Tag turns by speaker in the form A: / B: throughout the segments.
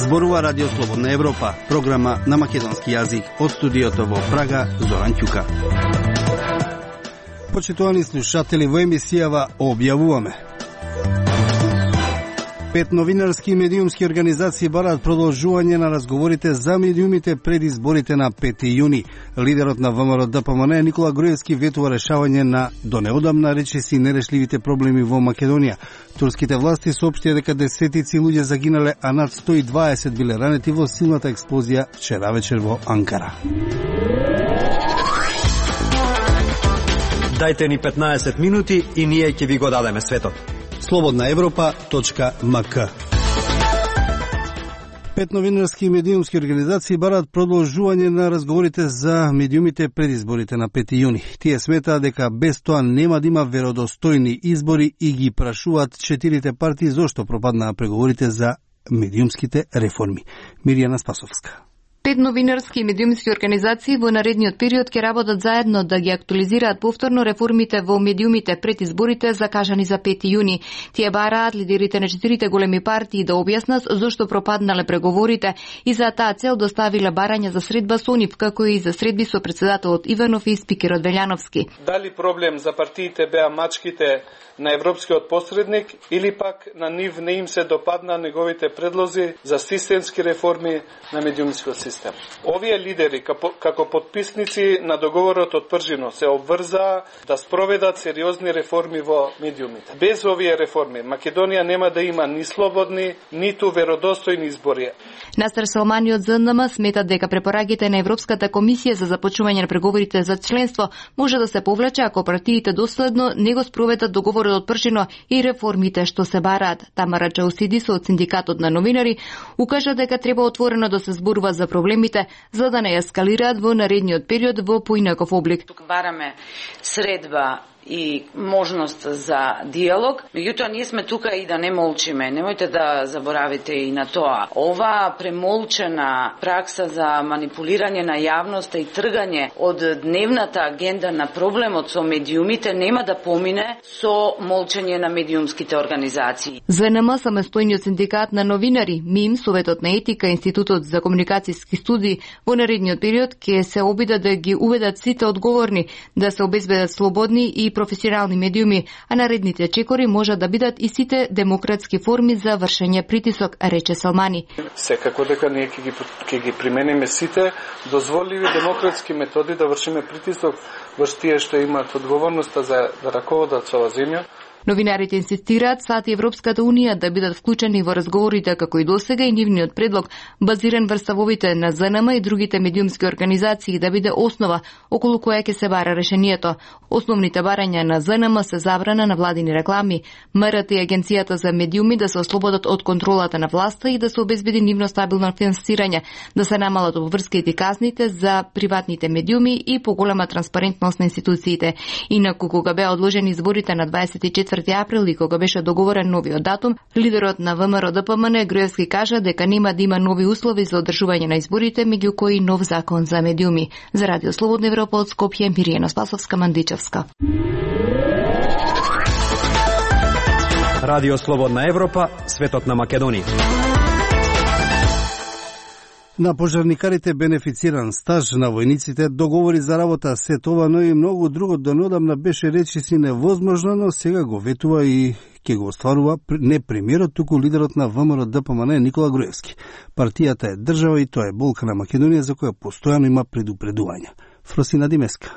A: Зборува Радио Слободна Европа, програма на македонски јазик од студиото во Прага, Зоран Ќука. Почитувани слушатели, во емисијава објавуваме: 5 новинарски и медиумски организации бараат продолжување на разговорите за медиумите пред изборите на 5 јуни. Лидерот на ВМРО ДПМН Никола Груевски ветува решавање на до неодамна речиси нерешливите проблеми во Македонија. Турските власти соопштија дека десетици луѓе загинале, а над 120 биле ранети во силната експлозија вчера вечер во Анкара.
B: Дајте ни 15 минути и ние ќе ви го дадеме светот.
A: slobodnaevropa.mk 5 новинарски и медиумски организации бараат продолжување на разговорите за медиумите пред изборите на 5 јуни. Тие сметаат дека без тоа нема да има веродостојни избори и ги прашуваат 4 партии зошто пропаднаа преговорите за медиумските реформи. Мирјана Спасовска.
C: 5 новинарски и медиумски организации во наредниот период ќе работат заедно да ги актуализираат повторно реформите во медиумите пред изборите закажани за 5 јуни. Тие бараат лидерите на 4 големи партии да објаснат зошто пропаднале преговорите и за таа цел доставиле барања за средба со нив, како и за средби со претседателот Иванов и спикерот Велјановски.
D: Дали проблем за партиите беа мачките на европскиот посредник или пак на нив не им се допадна неговите предлози за системски реформи на медиумскиот систем. Овие лидери, како подписници на договорот од Пржино, се обврзаа да спроведат сериозни реформи во медиумите. Без овие реформи, Македонија нема да има ни слободни, ниту веродостојни избори.
C: Настер Салмани од ЗНМ смета дека препораките на Европската комисија за започнување на преговорите за членство може да се повлече ако партиите доследно не го спроведат договорот од Пржино и реформите што се бараат. Тамара Чаусидис од Синдикатот на новинари укажа дека треба отворено да се зборува за проблемите, за да не ескалираат во наредниот период во поинаков облик.
E: Тук бараме средба и можност за диалог, меѓутоа ние сме тука и да не молчиме. Немојте да заборавите и на тоа. Ова премолчена пракса за манипулирање на јавноста и тргање од дневната агенда на проблемот со медиумите нема да помине со молчење на медиумските организации.
C: ЗНМ, самостојниот синдикат на новинари, МИМ, Советот на етика, Институтот за комуникацијски студии во наредниот период ќе се обидат да ги уведат сите одговорни, да се обезбедат слободни и професионални медиуми, а наредните чекори можат да бидат и сите демократски форми за вршење притисок, рече Салмани.
D: Секако дека ние ќе ги примениме сите дозволиви демократски методи да вршиме притисок врз тие што имаат одговорноста за да раководат со оваа земја.
C: Новинарите инсистираат САД и Европската Унија да бидат вклучени во разговорите како и досега и нивниот предлог, базиран врз ставовите на ЗНМ и другите медиумски организации, да биде основа околу која ќе се бара решението. Основните барања на ЗНМ се забрана на владини реклами, МРТ и Агенцијата за медиуми да се ослободат од контролата на власта и да се обезбеди нивно стабилно финансирање, да се намалат обврските и казните за приватните медиуми и поголема транспарентност на институциите. Инаку кога беа одложени изборите на 24 април и кога беше договорен новиот датум, лидерот на ВМРО ДПМН Груевски кажа дека нема да има нови услови за одржување на изборите, меѓу кои нов закон за медиуми. За Радио Слободна Европа од Скопје, Мирјана Спасовска, Мандичевска.
B: Радио Слободна Европа, светот на Македонија.
A: На пожарникарите бенефициран стаж, на војниците договори за работа, се това, но и многу друго до неодамна беше речиси невозможно, но сега го ветува и ќе го остварува не премиерот, туку лидерот на ВМРО ДПМН Никола Груевски. Партијата е држава и тоа е болка на Македонија за која постојано има предупредувања. Фросина Димеска.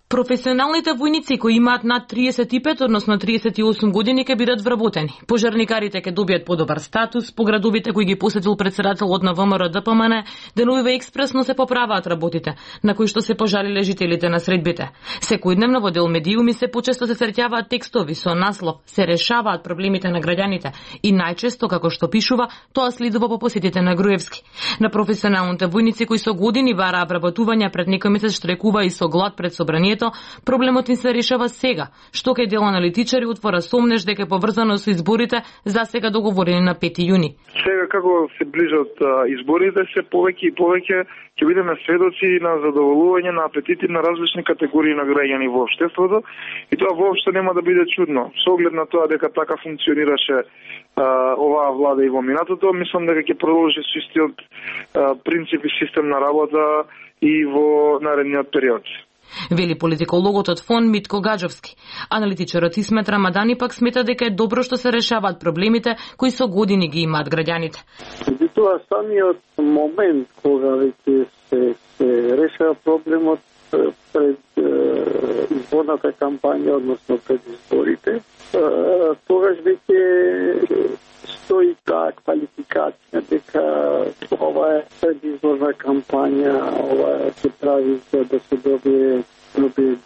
F: Професионалните војници кои имаат над 35, односно 38 години ќе бидат вработени. Пожарникарите ќе добијат подобар статус, по градовите кои ги посетил претседателот на ВМРО ДПМН, деновиве експресно се поправаат работите, на кои што се пожалиле жителите на средбите. Секојдневно во дел медиуми се почесто се среќаваат текстови со наслов "Се решаваат проблемите на граѓаните" и најчесто, како што пишува, тоа следува по посетите на Груевски. На професионалните војници кои со години бараа вработување пред некој месец штрекува и со глад пред собранието, времето, проблемот ни се решава сега, што кај дел аналитичари отвора сомнеж дека е поврзано со изборите засега договорени на 5 јуни.
G: Сега како се ближат изборите, се повеќе и повеќе ќе бидеме сведоци на задоволување на апетити на различни категории на граѓани во општеството и тоа воопшто нема да биде чудно. Со оглед на тоа дека така функционираше оваа влада и во минатото, мислам дека ќе продолжи со истиот принцип и систем на работа и во наредниот период.
F: Вели политикологот од ФОН Митко Гаджовски. Аналитичарот Исмет Рамадани пак смета дека е добро што се решаваат проблемите кои со години ги имаат граѓаните.
H: Тоа самиот момент кога веќе се решава проблемот пред изборната кампања, односно пред изборите, тогаш веќе стои таа квалификација дека ова е предизборна кампања, ова се прави за да се добие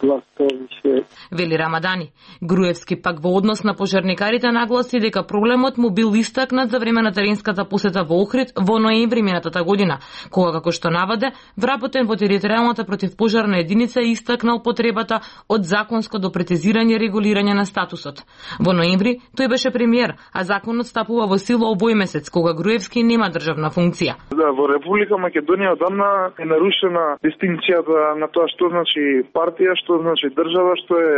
H: глас повише.
F: Вели Рамадани. Груевски пак во однос на пожарникарите нагласи дека проблемот му бил истакнат за време на теренската посета во Охрид во ноември минатата година, кога како што наваде, вработен во територијалната противпожарна единица е истакнал потребата од законско допрецизирање и регулирање на статусот. Во ноември тој беше премиер, а законот стапува во сила овој месец, кога Груевски нема државна функција.
G: Да, во Република Македонија одамна е нарушена дистинкцијата на тоа што значи партија, што значи држава, што е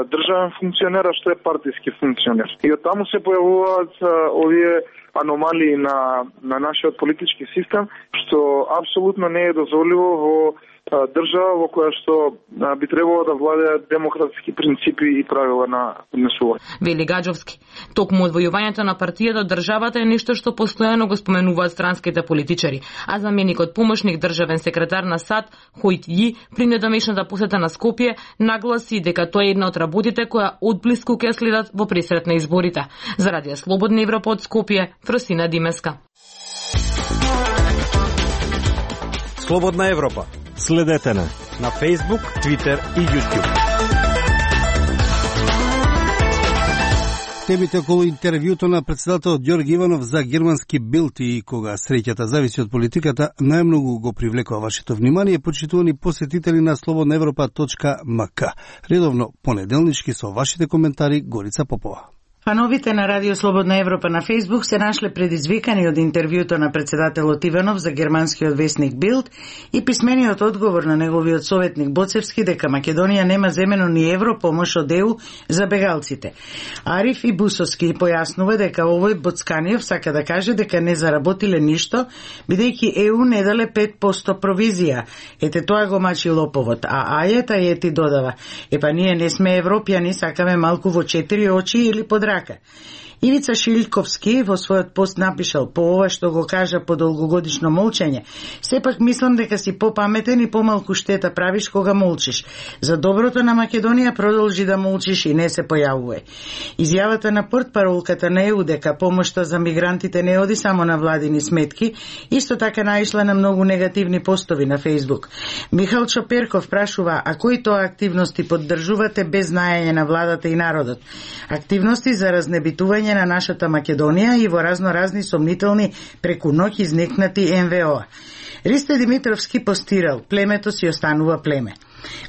G: државен функционер, а што е партиски функционер. И од таму се појавуваат овие аномалии на нашиот политички систем, што апсолутно не е дозволиво во држава во која што би требало да владеат демократски принципи и правила на однесување.
F: Вели Гаджовски. Токму одвојувањето на партијата од државата е нешто што постојано го споменуваат странските политичари, а заменикот помошник државен секретар на САД Хојт Ји при недомешната посета на Скопје нагласи дека тоа е една од работите која одблиску ќе следат во пресрет на изборите. За Радио Слободна Европа од Скопје, Фросина Димеска.
B: Слободна Европа.
A: Следете на
B: Facebook, Twitter и YouTube.
A: Темите околу интервјуто на председателот Ѓорги Иванов за германски Билд и кога среќата зависи од политиката, најмногу го привлекува вашето внимание, почитувани посетители на slobodnaevropa.mk. Редовно понеделнички со вашите коментари Горица Попова.
I: Фановите на Радио Слободна Европа на Фейсбук се нашле предизвикани од интервјуто на председателот Иванов за германскиот весник Билд и писмениот одговор на неговиот советник Боцевски дека Македонија нема земено ни евро помош од ЕУ за бегалците. Ариф и Бусовски појаснува дека овој Боцканиев сака да каже дека не заработиле ништо, бидејќи ЕУ не дале 5% провизија. Ете тоа го мачи лоповот, а Ајета Ети додава: епа ние не сме европјани, сакаме малку во 4 очи или под рака. Ивица Шилковски во својот пост напишал: по ова што го кажа по долгогодишно молчење, сепак мислам дека си попаметен и помалку штета правиш кога молчиш. За доброто на Македонија продолжи да молчиш и не се појавувај. Изјавата на портпаролката на ЕУ дека помошта за мигрантите не оди само на владини сметки, исто така наишла на многу негативни постови на Фейсбук. Михал Чоперков прашува: а кои тоа активности поддржувате без знаење на владата и народот? Активности за разнебитување на нашата Македонија и во разни сомнителни преку ноќ изникнати НВО. Ристо Димитровски постирал: племето си останува племе.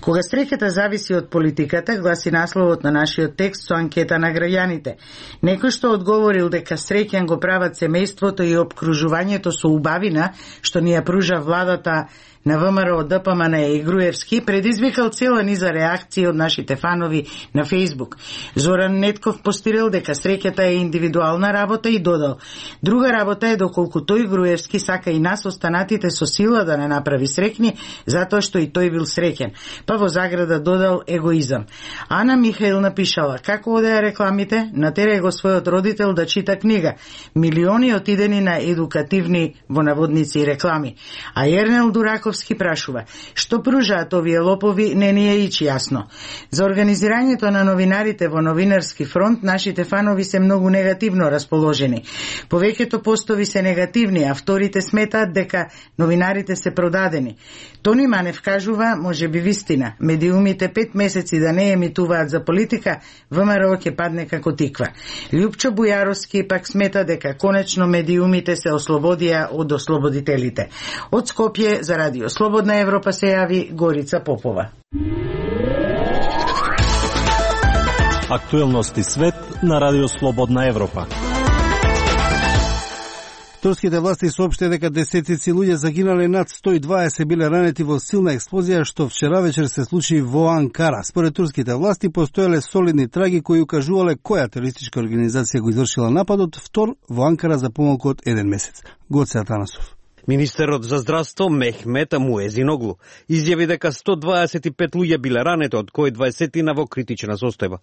I: Кога среќата зависи од политиката, гласи насловот на нашиот текст со анкета на граѓаните. Некој што одговорил дека среќен го прават семејството и обкружувањето со убавина што ни ја пружа владата на ВМРО, ДПМН и Груевски, предизвикал цела низа реакции од нашите фанови на Фейсбук. Зоран Нетков постирал дека среќата е индивидуална работа и додал: друга работа е доколку тој Груевски сака и нас останатите со сила да не направи среќни, затоа што и тој бил среќен. Па во заграда додал: егоизам. Ана Михаил напишала: како одеа рекламите, натерај го својот родител да чита книга. Милиони отидени на едукативни во наводници реклами. А Ернел Дураков прашува: што пружаат овие лопови, не ни е ич јасно. За организирањето на новинарите во Новинарски фронт, нашите фанови се многу негативно расположени. Повеќето постови се негативни, а вторите сметаат дека новинарите се продадени. Тони Манев кажува: може би вистина, медиумите 5 месеци да не емитуваат за политика, ВМРО ќе падне како тиква. Лјупчо Бујаровски пак смета дека конечно медиумите се ослободија од ослободителите. Од Скопје за Радио Слободна Европа се јави Горица Попова.
J: Актуелности свет на Радио Слободна Европа.
A: Турските власти соопштија дека десетици луѓе загинале, над 120 биле ранети во силна експлозија што вчера вечер се случи во Анкара. Според турските власти постоеле солидни траги кои укажувале која терористичка организација го извршила нападот, втор во Анкара за помалку од 1 месец. Гоце Атанасов.
K: Министерот за здравство Мехмет Муезиноглу изјави дека 125 луѓе биле ранети, од кои 20 во критична состојба.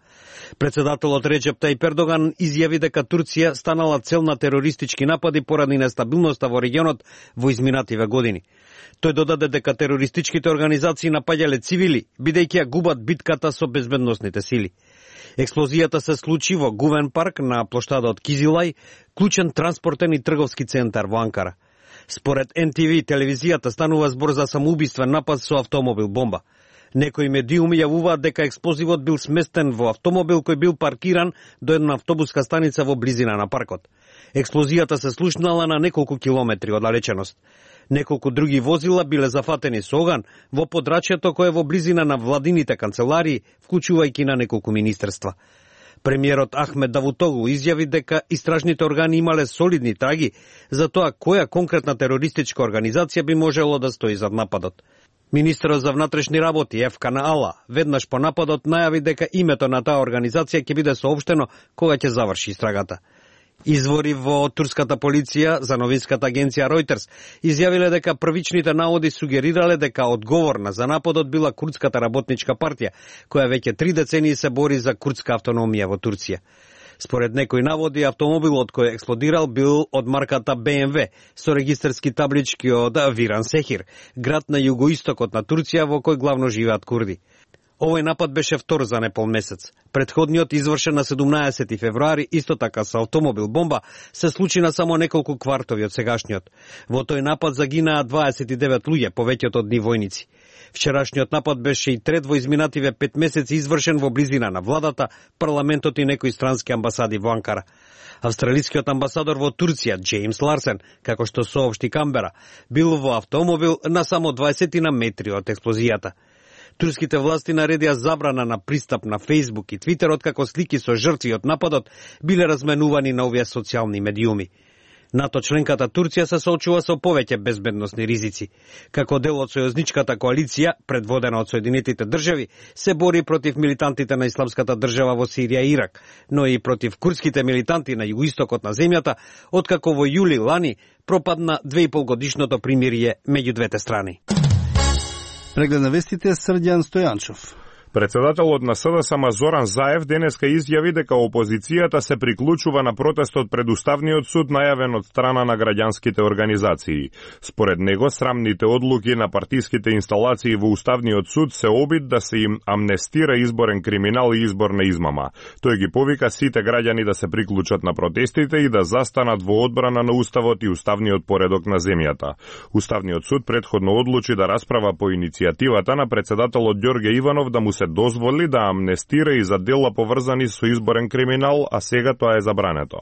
K: Председателот Реджеп Тајип Ердоган изјави дека Турција станала цел на терористички напади поради нестабилноста во регионот во изминативе години. Тој додаде дека терористичките организации напаѓале цивили, бидејќи ја губат битката со безбедносните сили. Експлозијата се случи во Гувен парк на плоштадот Кизилај, клучен транспортен и трговски центар во Анкара. Според НТВ телевизијата станува збор за самоубиствен напад со автомобил бомба. Некои медиуми јавуваат дека експлозивот бил сместен во автомобил кој бил паркиран до една автобуска станица во близина на паркот. Експлозијата се слушнала на неколку километри оддалеченост. Неколку други возила биле зафатени со оган во подрачјето кое во близина на владините канцеларии, вклучувајќи на неколку министерства. Премиерот Ахмед Давутоглу изјави дека истражните органи имале солидни траги за тоа која конкретна терористичка организација би можело да стои зад нападот. Министерот за внатрешни работи Ефкан Ала веднаш по нападот најави дека името на таа организација ќе биде соопштено кога ќе заврши истрагата. Извори во турската полиција за новинската агенција Reuters изјавиле дека првичните наводи сугерирале дека одговорна за нападот била Курдската работничка партија, која веќе 3 децении се бори за курдска автономија во Турција. Според некои наводи, автомобилот кој експлодирал бил од марката BMW со регистарски таблички од Виран Сехир, град на југоистокот на Турција во кој главно живеат курди. Овој напад беше втор за непол месец. Предходниот, извршен на 17 февруари, исто така со автомобил бомба, се случи на само неколку квартови од сегашниот. Во тој напад загинаа 29 луѓе, повеќето од нив војници. Вчерашниот напад беше и трет во изминативе 5 месеци, извршен во близина на владата, парламентот и некои странски амбасади во Анкара. Австралискиот амбасадор во Турција, Джеймс Ларсен, како што соопшти Камбера, бил во автомобил на само 20 на метри од експлозијата. Турските власти наредија забрана на пристап на Facebook и Twitter, откако слики со жртви од нападот биле разменувани на овие социјални медиуми. НАТО членката Турција се соочува со повеќе безбедносни ризици. Како дел од сојузничката коалиција, предводена од Соединетите држави, се бори против милитантите на Исламската држава во Сирија и Ирак, но и против курдските милитанти на југоистокот на земјата, откако во јули лани пропадна 2,5 годишното примирие меѓу двете страни.
A: Преглед на вестите Срđan Стојанчов.
L: Председателот на СДСМ Зоран Заев денеска изјави дека опозицијата се приклучува на протестот пред Уставниот суд најавен од страна на граѓанските организации. Според него, срамните одлуки на партиските инсталации во Уставниот суд се обид да се им амнестира изборен криминал и изборна измама. Тој ги повика сите граѓани да се приклучат на протестите и да застанат во одбрана на Уставот и Уставниот поредок на земјата. Уставниот суд претходно одлучи да расправа по иницијативата на председателот Ѓорѓе Иванов да му се дозволи да амнестира и за дела поврзани со изборен криминал, а сега тоа е забрането.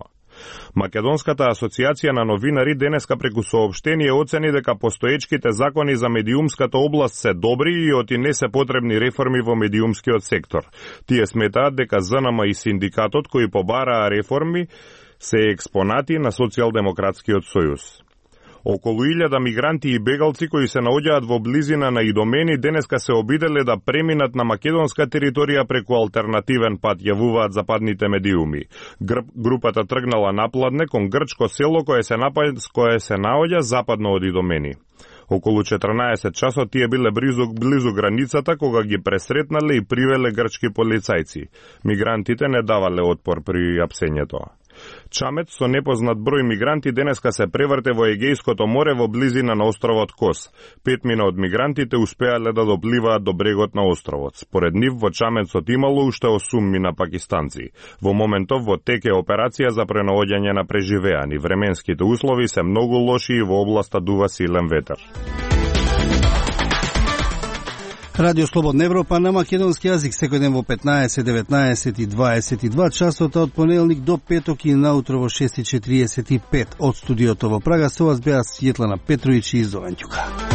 L: Македонската асоциација на новинари денеска преку соопштение оцени дека постоечките закони за медиумската област се добри и оти не се потребни реформи во медиумскиот сектор. Тие сметаат дека ЗНМ и синдикатот кои побараа реформи се експонати на Социјалдемократскиот сојуз. Околу 1000 мигранти и бегалци кои се наоѓаат во близина на Идомени денеска се обиделе да преминат на македонска територија преку алтернативен пат, јавуваат западните медиуми. Групата тргнала напладне кон грчко село кое се наоѓа западно од Идомени. Околу 14 часот тие биле близу границата кога ги пресретнале и привеле грчки полицајци. Мигрантите не давале отпор при апсењето. Чамет со непознат број мигранти денеска се преврте во Егејското море во близина на островот Кос. 5 од мигрантите успеале да допливаат до брегот на островот. Според нив во Чаметсот имало уште 8 на пакистанци. Во моментов во тек е операција за пренаоѓање на преживеани. Временските услови се многу лоши и во областа дува силен ветер.
A: Радио Слободна Европа на македонски јазик секој ден во 15, 19 и 22 часот од понеделник до петок и наутро во 6:45 од студиото во Прага. Со вас беа Светлана Петровиќ и Зован Ѓука.